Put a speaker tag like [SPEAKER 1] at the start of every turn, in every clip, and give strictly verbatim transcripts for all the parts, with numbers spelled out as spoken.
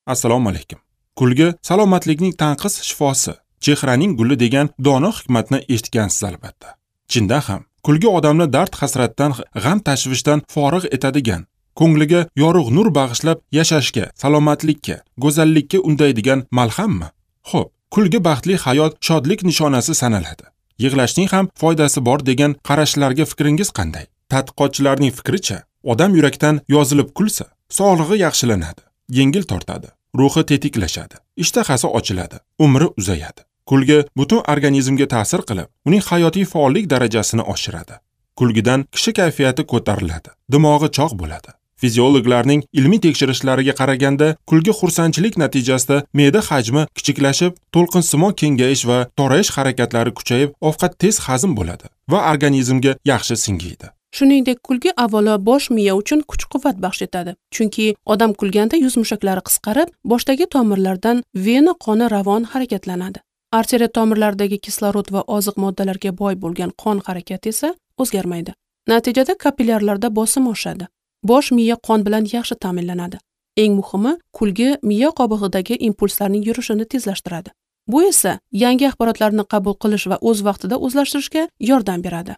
[SPEAKER 1] Assalomu alaykum. Kulgi salomatlikning tanqis shifosi, chehraning guli degan dono hikmatni eshitgansiz albatta. Chindan ham, kulgi odamni dard hasratdan, g'am tashvishdan forig' etadigan, ko'ngliga yorug' nur bag'ishlab yashashga, salomatlikka, go'zallikka undaydigan malhammi? Xo'p, kulgi baxtli hayot, shodlik nishonasi sanaladi. Yig'lashning ham foydasi bor degan qarashlarga fikringiz qanday? Tadqiqotchilarning fikricha, odam yurakdan yozilib kulsa, sog'lig'i yaxshilanadi, yengil tortadi, ruhi tetiklashadi, ishtahasi ochiladi, umri uzayadi. Kulgi butun organizmga ta'sir qilib, uning hayotiy faollik darajasini oshiradi. Kulgidan kishi kayfiyati ko'tariladi, dimog'i chog' bo'ladi. Fiziologlarning ilmiy tekshirishlariga qaraganda, kulgi xursandchilik natijasida me'da hajmi kichiklashib, to'lqinsimon kengayish va torayish harakatlari kuchayib, ovqat tez hazm bo'ladi va organizmga yaxshi singiydi.
[SPEAKER 2] Shuningdek, kulgi avvalo bosh miya uchun kuch-quvvat baxsh etadi. Chunki odam kulganda yuz mushaklari qisqarib, boshdagi tomirlardan vena qoni ravon harakatlanadi. Arteriya tomirlaridagi kislorod va oziq moddalarga boy bo'lgan qon harakati esa o'zgarmaydi. Natijada kapillyarlarda bosim oshadi. Bosh miya qon bilan yaxshi ta'minlanadi. Eng muhimi, kulgi miya qobig'idagi impulslarning yurishini tezlashtiradi. Bu esa yangi axborotlarni qabul qilish va o'z vaqtida o'zlashtirishga yordam beradi.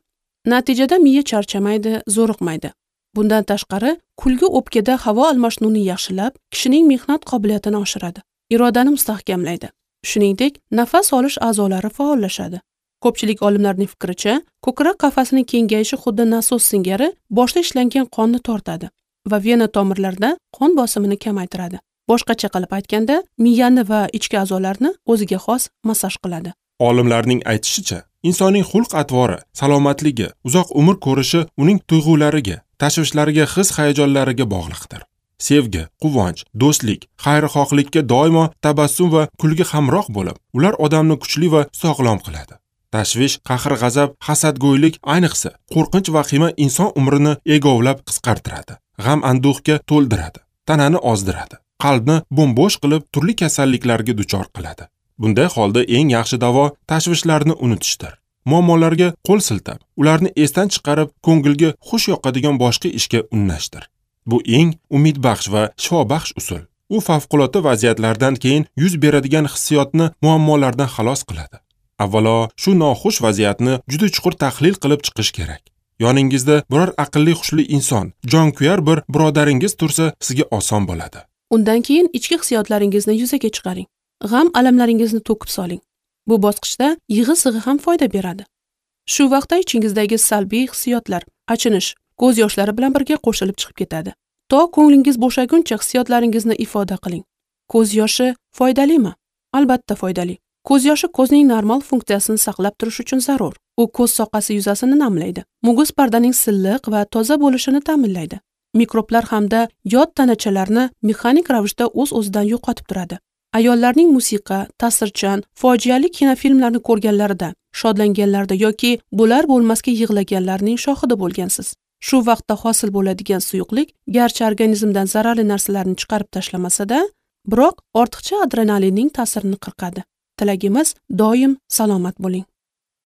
[SPEAKER 2] Natijada miya charchamaydi, zo'riqmaydi. Bundan tashqari, kulgi o'pkada havo almashinuvini yaxshilab, kishining mehnat qobiliyatini oshiradi, irodani mustahkamlaydi. Shuningdek, nafas olish a'zolari faollashadi. Ko'pchilik olimlarning fikricha, ko'krak qafasining kengayishi xuddi nasos singari boshda ishlangan qonni tortadi va vena tomirlarida qon bosimini kamaytiradi. Boshqacha qilib aytganda, miyani va ichki a'zolarni o'ziga xos massaj qiladi.
[SPEAKER 1] Olimlarning aytishicha, insonning xulq-atvori, salomatligi, uzoq umr ko'rishi uning tuyg'ulariga, tashvishlariga, his-hayajonlariga bog'liqdir. Sevgi, quvonch, do'stlik, xayrixohlikka doimo tabassum va kulgi hamroh bo'lib, ular odamni kuchli va sog'lom qiladi. Tashvish, qahr-g'azab, hasadgo'ylik, ayniqsa qo'rqinch vahima inson umrini egovlab qisqartiradi, g'am anduhga to'ldiradi, tanani ozdiradi, qalbni bo'm-bo'sh qilib turli kasalliklarga duchor qiladi. Bunday holda eng yaxshi davo tashvishlarni unutishdir. Muammolarga qo'l siltab, ularni esdan chiqarib, ko'ngilga xush yoqadigan boshqa ishga unnashdir. Bu eng umidbaxsh va shifobaxsh usul. U favqulodda vaziyatlardan keyin yuz beradigan hissiyotni muammolardan xalos qiladi. Avvalo, shu noxush vaziyatni juda chuqur tahlil qilib chiqish kerak. Yoningizda biror aqlli hushli inson, jonkuyar bir birodaringiz tursa, sizga oson bo'ladi.
[SPEAKER 2] Undan keyin ichki hissiyotlaringizni yuzaga chiqaring. G'am alamlaringizni to'kib soling. Bu bosqichda yig'i-sig'i ham foyda beradi. Shu vaqtda ichingizdagi salbiy hissiyotlar, achinish, ko'z yoshlari bilan birga qo'shilib chiqib ketadi. To ko'nglingiz bo'shaguncha hissiyotlaringizni ifoda qiling. Ko'z yoshi foydalimi? Albatta foydali. Ko'z yoshi ko'zning normal funksiyasini saqlab turish uchun zarur. U ko'z soqasi yuzasini namlaydi. Muguz pardaning silliq va toza bo'lishini ta'minlaydi. Mikroblar hamda yod tanachalarni mexanik ravishda o'z-o'zidan yo'qotib turadi. Ayollarning musiqa, ta'sirchan, fojiali kinofilmlarni ko'rganlarida, shodlanganlarida yoki bo'lar bo'lmasga yig'laganlarning shohidi bo'lgansiz. Shu vaqtda hosil bo'ladigan suyuqlik garchi organizmdan zararli narsalarni chiqarib tashlamasa-da, biroq ortiqcha adrenalinning ta'sirini qirqadi. Tilagimiz doim salomat bo'ling.